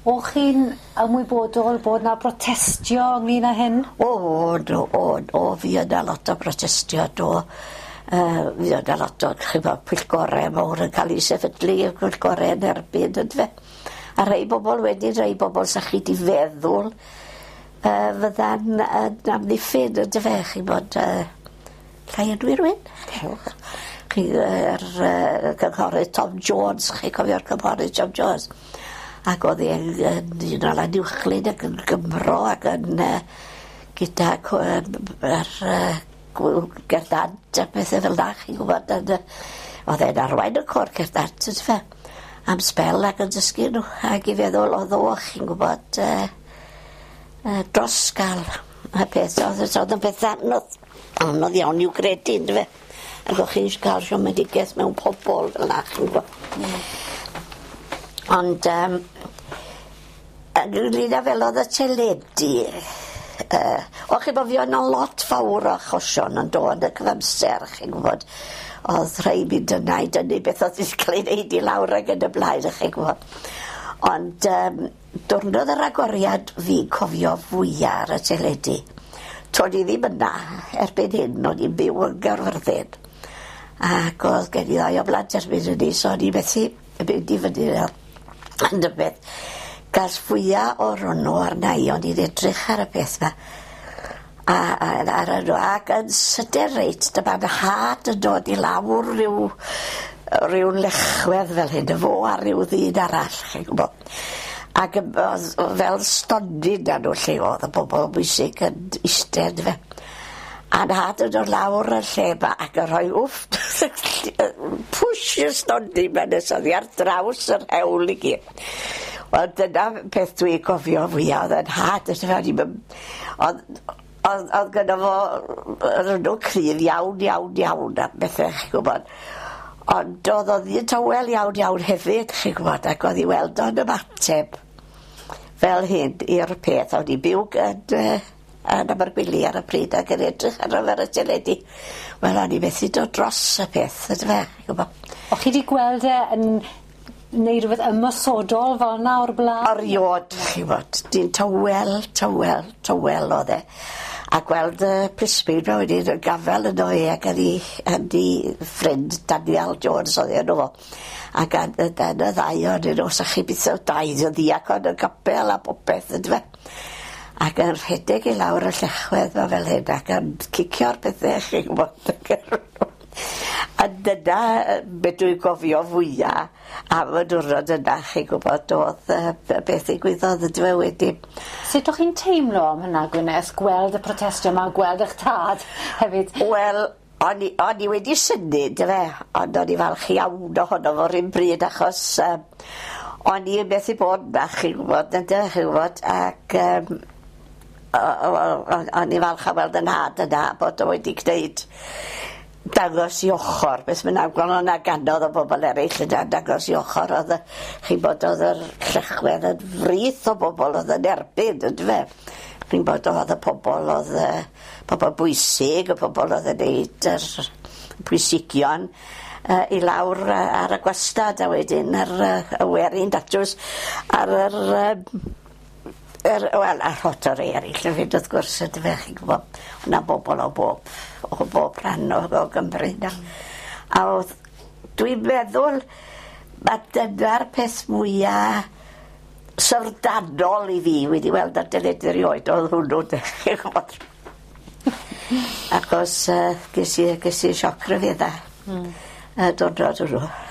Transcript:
O'ch chi'n ymwybodol bod 'na brotestio ynglŷn â hyn? O do o o fuodd 'na lot o brotestio do. Yy fuodd 'na lot o ch'bo' pwyllgore mowr yn ca'l 'u sefydlu y pwyllgore yn erbyn on'd yfe? A rhei bobol wedyn rhei bobol sach chi 'di feddwl yy fydda'n yn amddiffyn on'd yfe chi'n bod yy llai enwi rywun? Cewch. Chi yr yy cynghorydd Tom Jones, chi'n cofio'r cynghorydd Tom Jones? Ac o'dd e yn yn un o Lanuwchllyn ac yn Gymro ac yn yy gyda co- yy yr yy gwyl gerdd dant a pethe fel 'na chi'n gwbod yn yy o'dd e'n arwain y côr cerdd dant on'd yfe? Am sbel ac yn dysgu n'w ag i feddwl o'dd o chi'n gwbod yy yy dros ga'l y peth o'dd o'dd yn beth anodd anodd iawn i'w gredu yndyfe? Ag o'ch chi'n ga'l siomedigaeth mewn pobol fel 'na chi'n gwbo. Hmm. Ond yym ynglŷn â fel o'dd y teledu yy o chi'n bo' fi o' 'na lot fawr o achosion yn dod y cyfamser chi'n gwbod o'dd rhai mynd yna i dynnu beth o'dd 'di ca'l ei neud i lawr ag yn y blaen a chi'n gwbo. Ond yym diwrnod yr agoriad fi'n cofio fwya ar y teledu. To'n i ddim yna erbyn hyn o'n i'n byw yn Gaerfyrddin ac o'dd gen i ddau o blant erbyn hynny so o'n i methu mynd i fyny yna ond y beth gas fwya o'r hwnnw arna i o'n i'n edrych ar y peth 'ma a a ar y ag yn sydyn reit dyma 'nhad yn dod i lawr ryw ryw lechwedd fel hyn y fo a ryw ddyn arall chi'n gwbo. Ac yy o'dd o'dd fel stondin 'da n'w lle o'dd y bobol bwysig yn iste on'd yfe? A nhad yn dod lawr y lle 'ma ac yn rhoi wfft pwsh i'r stondin 'ma nes oddi ar draws yr hewl i gyd. Wel dyna peth dwi'n cofio fwya o'dd 'yn nhad o'n i'm yn o'dd o'dd o'dd gynno fo yr enw cryf iawn iawn iawn am bethe chi'n gwbod. Ond o'dd o ddyn tawel iawn iawn hefyd chi'n gwbod ac o'dd i weld o'n ymateb fel hyn i'r peth o'n i'n byw yn yy yn Abergwili ar y pryd ac yn edrych arno fe ar y teledu. Wel o'n i methu dod dros y peth yndyfe ch'bo. O'ch chi 'di gweld e yn neud rwbeth ymosodol fel 'na o'r bla'n? Eriod chi wbod dyn tywel tywel tywel o'dd e. A gweld y plismyn 'ma wedyn yn gafel yno fe ac yn 'i yn 'i ffrind Daniel Jones o'dd 'i enw fo. Ac yn y yn y ddau ohonyn nw sach chi byth yn dau ddiacon y capel a popeth yndyfe? Ac yn rhedeg i lawr y llechwedd 'ma fel hyn ac yn cicio'r pethe chi'n gwbod a dyna yy be' dwi'n gofio fwya am y diwrnod yna chi'n gwbod o'dd yy be' beth ddigwyddodd yndyfe wedyn. Sut o'ch chi'n teimlo am hynna Gwyneth, gweld y protestio 'ma, gweld 'ych tad hefyd? Wel o'n i o'n i wedi synnu yndyfe ond o'n i falch iawn ohono fo 'r un bryd achos yy o'n i methu bod 'na chi'n gwbod ynde chi'n gwbod ac yym o'n i falch o weld 'yn nhad yna bod o wedi gneud dangos 'i ochor beth bynnag wel o' 'na ganodd o bobol eryll yna dangos 'i ochor o'dd y chi'n bod o'dd yr llechwedd yn frith o bobol o'dd yn erbyn yndyfe? Chi'n bod o'dd y pobol o'dd yy pobol bwysig y pobol o'dd yn neud yr pwysigion yy i lawr yy ar y gwastad a wedyn yr yy y werin datws ar yr yym yr wel a rhot o rei eryll hefyd wrth gwrs yndyfe chi'n gwbo. O' 'na bobol o bob o bob rhan o o Gymru 'na. A o'dd dwi'n meddwl ma' dyna'r peth mwya syfrdanol i fi wedi weld ar deledu erioed o'dd hwnnw 'de chi'n gwbod. Achos yy ges i ges i sioc ryfedda. Hmm. Y diwrnod hwnnw.